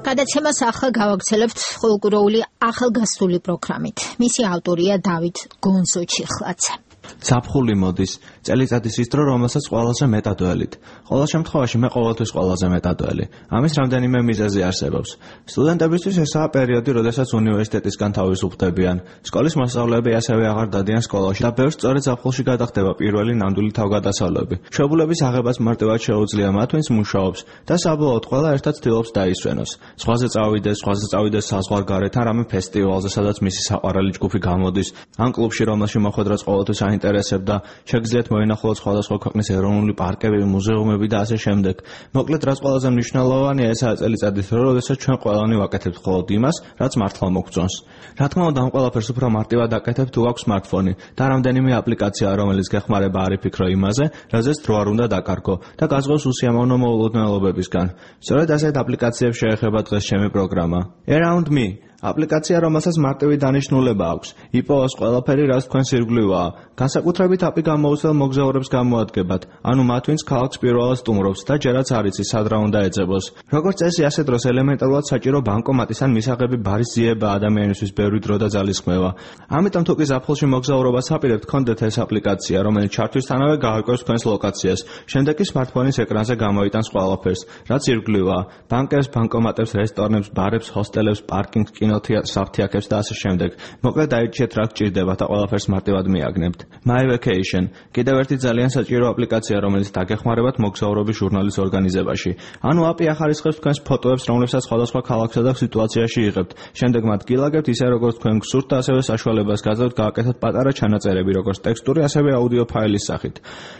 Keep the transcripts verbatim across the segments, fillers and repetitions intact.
გადაცემას ახლა გავაგრძელებთ ხოლმე ახალგაზრდული პროგრამით. მისი ავტორია დავით გონზო-ჩიხლაძე. ზაფხული მოდის, წელიწადის ის დრო, რომელსაც ყველაზე მეტად ველით. Ყოველ შემთხვევაში მე ყოველთვის ყველაზე მეტად ველი. ამის რამდენიმე მიზეზი არსებობს. სტუდენტებისთვის ესაა პერიოდი, როდესაც უნივერსიტეტისგან თავისუფლდებიან. სკოლის მოსწავლეები ასევე აღარ დადიან სკოლაში და ბევრს სწორედ ზაფხულში გადახდება პირველი ნამდვილი თავგადასავლები. მშობლების აღებას მარტივად შეუძლია მათ, ვინც მუშაობს და საბოლოოდ ყველა ერთად ცდილობს დაისვენოს. ზღვაზე წავიდეს, ზღვაზე წავიდეს საზღვარგარეთ, ან რამე ფესტივალზე, სადაც მისი საყვარელი ჯგუფი გამოდის, ან კლუბში, რომელში მოხვედრაც ყოველთვის აინტერესებდა, შეგიძლიათ მოინახულოთ სხვადასხვა ქვეყნის ეროვნული პარკები, მუზეუმები და ასე შემდეგ. მოკლედ, რაც ყველაზე მნიშვნელოვანია, ესაა წელიწადის დრო, როდესაც ჩვენ ყველანი ვაკეთებთ მხოლოდ იმას, რაც მართლა მოგწონს. რა თქმა უნდა, ამ ყველაფერს უფრო მარტივად აკეთებ, თუ აქვს smartphone და რამდენიმე აპლიკაცია, რომელიც გეხმარება არ იფიქრო იმაზე, რაზეც დრო არ უნდა დაკარგო და გაზღავს უსიამოვნო მოულოდნელობებისგან. სწორედ ასეთ აპლიკაციებს შეეხება დღეს ჩემი პროგრამა. Around Me აპლიკაცია, რომელსაც მარტივი დანიშნულება აქვს. იპოვოს ყველაფერი, რაც თქვენს ირგვლივაა. განსაკუთრებით აპი გამოუცდელ მოგზაურებს გამოადგებათ, ანუ მათ, ვინც ქალაქს პირველად სტუმრობს და ჯერაც არ იცის, სად რა უნდა ეძებოს. როგორც წესი, ასე დროს ელემენტარულად საჭირო ბანკომატის ან მისაღები ბარის ძიება ადამიანისთვის ბევრი დრო და ძალისხმევა. ამიტომ თუ კი ზაფხულში მოგზაურობას აპირებთ, გქონდეთ ეს აპლიკაცია, რომელიც ჩართვისთანავე გაარკვევს თქვენს ლოკაციას. შემდეგ კი smartphone-ის ეკრანზე გამოიტანს ყველაფერს, რაც ირგვლივაა: ბანკებს, ბანკომატებს, რესტორნებს, ბარებს, ჰოსტელებს, პარკინგს, საფთიაქებს და ასე შემდეგ. მოკლედ დაირჩიეთ რა გჭირდება და ყველაფერს მარტივად მიაგნებთ. My Vacation კიდევ ერთი ძალიან საჭირო აპლიკაცია, რომელიც დაგეხმარებათ მოგზაურობის ჟურნალის ორგანიზებაში. ანუ აპი ახარისხებს თქვენს ფოტოებს, რომლებსაც სხვადასხვა ქალაქსა და სიტუაციაში იღებთ. შემდეგ მათ გილაგებთ ისე როგორც თქვენ გსურთ და ასევე საშუალებას გაძლევთ გააკეთოთ პატარა ჩანაწერები, როგორც ტექსტური, ასევე აუდიო ფაილის სახით.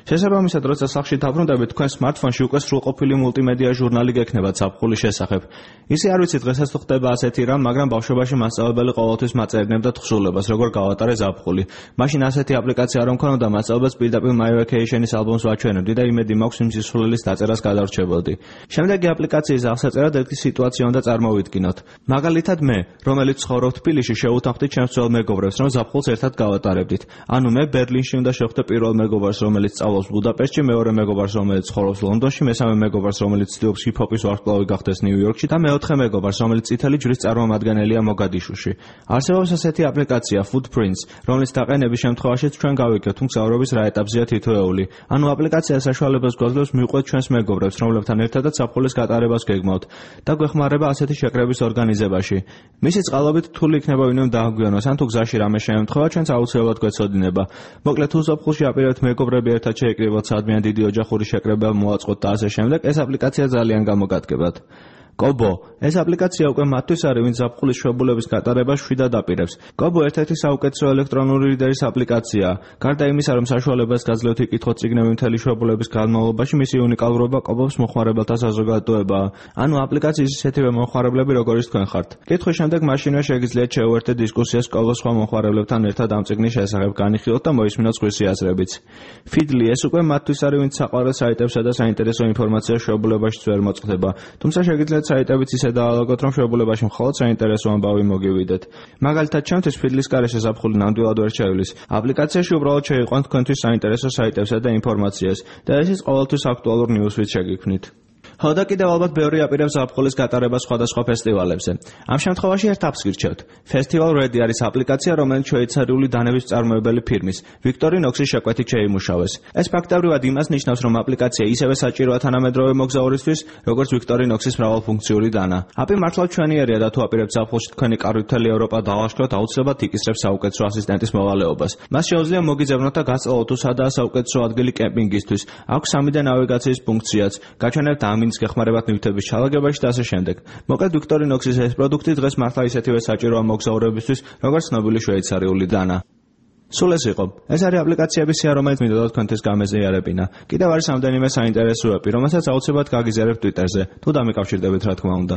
შესაბამისად, როცა სახლში დაბრუნდებით, თქვენ smartphone-ში უკვე სრულყოფილი მულტიმედია ჟურნალი გექნებათ ზაფხულის შესახებ. ისე არ ვიცით დღესაც თუ ხდება ასეთი რამ, მაგრამ ბავშვობაში მასწავლებელი ყოველთვის მაწერდებდა თხზულებას, როგორ გავატარე ზაფხული. მაშინ ასეთი აპლიკაცია რომ ქონოდა, მასწავლებელს პირდაპირ My Vacation-ის ალბომს ვაჩვენებდი და იმედი მაქვს იმ სისულელის დაწერას გადავრჩებოდი. შემდეგი აპლიკაციის აღსაწერად ერთი სიტუაცია უნდა წარმოვიდგინოთ. მაგალითად მე, რომელიც ცხოვრობ თბილისში, შევუთანხმდი ჩემს ძველ მეგობრებს, რომ ზაფხულს ერთად გავატარებდით. ანუ მე ბერლინში უნდა შევხვდე პირველ მეგობარს, რომელიც სწავლობს ბუდაპეშტში, მეორე მეგობარს, რომელიც ცხოვრობს ლონდონში, მესამე მეგობარს, რომელიც ცდილობს ჰიპ-ჰოპის ვარსკვლავი გახდეს ნიუ-იორკში და მეოთხე მეგობარს, რომელიც წითელი ჯვრის წარმომადგენელია მოგადიშუში. არსებობს ასეთი აპლიკაცია Footprints, რომლის დაყენების შემთხვევაშიც ჩვენ გავიგებთ, თუ მგზავრობის რა ეტაპზეა თითოეული. ანუ აპლიკაცია საშუალებას გვაძლევს მივყვეთ ჩვენს მეგობრებს, რომლებთან ერთადაც ზაფხულის გატარებას გეგმავთ და გვეხმარება ასეთი შეკრების ორგანიზებაში. მისი წყალობით რთული იქნება ვინმე დააგვიანოს, ან თუ გზაში რამე შეემთხვევა, ჩვენც აუცილებლად გვეცოდინება. მოკლედ, თუ ზაფხულში აპირებთ მეგობრები ერთად შეიკრიბოთ სადმე ან დიდი ოჯახური შეკრება მოაწყოთ და ასე შემდეგ, ეს აპლიკაცია ძალიან გამოგადგებათ. Kobo ეს აპლიკაცია უკვე მათთვის არის, ვინც ზაფხულის შვებულების გატარებას შვიდად აპირებს. Kobo ერთ-ერთი საუკეთესო ელექტრონული რიდერის აპლიკაციაა. გარდა იმისა, რომ საშუალებას გაძლევთ იკითხოთ წიგნები მთელი შვებულების განმავლობაში, მისი უნიკალურობა Kobo-ს მოხმარებელთა საზოგადოებაა. ანუ აპლიკაციის ისეთივე მოხმარებლები, როგორიც თქვენ ხართ. კითხვის შემდეგ მაშინვე შეგიძლიათ შეუერთდეთ დისკუსიას Kobo-s სხვა მოხმარებლებთან ერთად ამ წიგნის შესახებ განიხილოთ და მოისმინოთ სხვისი აზრებიც. Feedly ეს უკვე მათთვის არის, ვინც საყვარელ საიტებსა და საინტერესო ინფორმაციას შვებულებაშიც ვერ მოწყდება. თუმცა შეგიძლიათ საიტებიც ისე დაალაგოთ, რომ შვებულებაში მხოლოდ საინტერესო ამბავი მოგივიდეთ. მაგალითად, ჩემთვის Feedly-ს გარეშე ზაფხული ნამდვილად ვერ ჩაივლის. აპლიკაციაში უბრალოდ შეიყვანთ თქვენთვის საინტერესო საიტებსა და ინფორმაციას და ესეც ყოველთვის აქტუალურ ნიუსვით შეგიქმნით. ხო და კიდევ ალბათ ბევრი აპირებს ზაფხულის გატარებას სხვადასხვა ფესტივალებზე. ამ შემთხვევაში ერთ აპს გირჩევთ. Festival Ready არის აპლიკაცია, რომელიც შვეიცარიული დანების მწარმოებელი ფირმის Victorinox-ის შეკვეთით შეიმუშავეს. ეს ფაქტობრივად იმას ნიშნავს, რომ აპლიკაცია ისევე საჭიროა თანამედროვე მოგზაურისთვის, როგორც Victorinox-ის მრავალფუნქციური დანა. აპი მართლა ჩვენიერია და თუ აპირებთ ზაფხულში თქვენი კარვით მთელი ევროპა დავაშქროთ, აუცილებლად იკისრებს საუკეთესო ასისტენტის მოვალეობას. მას შეუძლია მოგიძებნოთ და გასწავლოთ თუ სადაა საუკეთესო ადგილი კემპინგისთვის. აქვს სამი დე ნავიგაციის ფუნქციაც. გაჩვენებთ ამინს გეხმარებათ ნივთების ჩალაგებაში და ასე შემდეგ. მოკლედ Victorinox-ის ეს პროდუქტი დღეს მართლა ისეთივე საჭიროა მოგზაურებისთვის, როგორც ცნობილი შვეიცარიული დანა. სულ ეს იყო. ეს არის აპლიკაციების სია, რომელიც მინდოდა თქვენთვის გამეზიარებინა. კიდევ არის რამდენიმე საინტერესო აპი, რომელსაც აუცილებლად გაგიზიარებთ Twitter-ზე, თუ დამიკავშირდებით რა თქმა უნდა.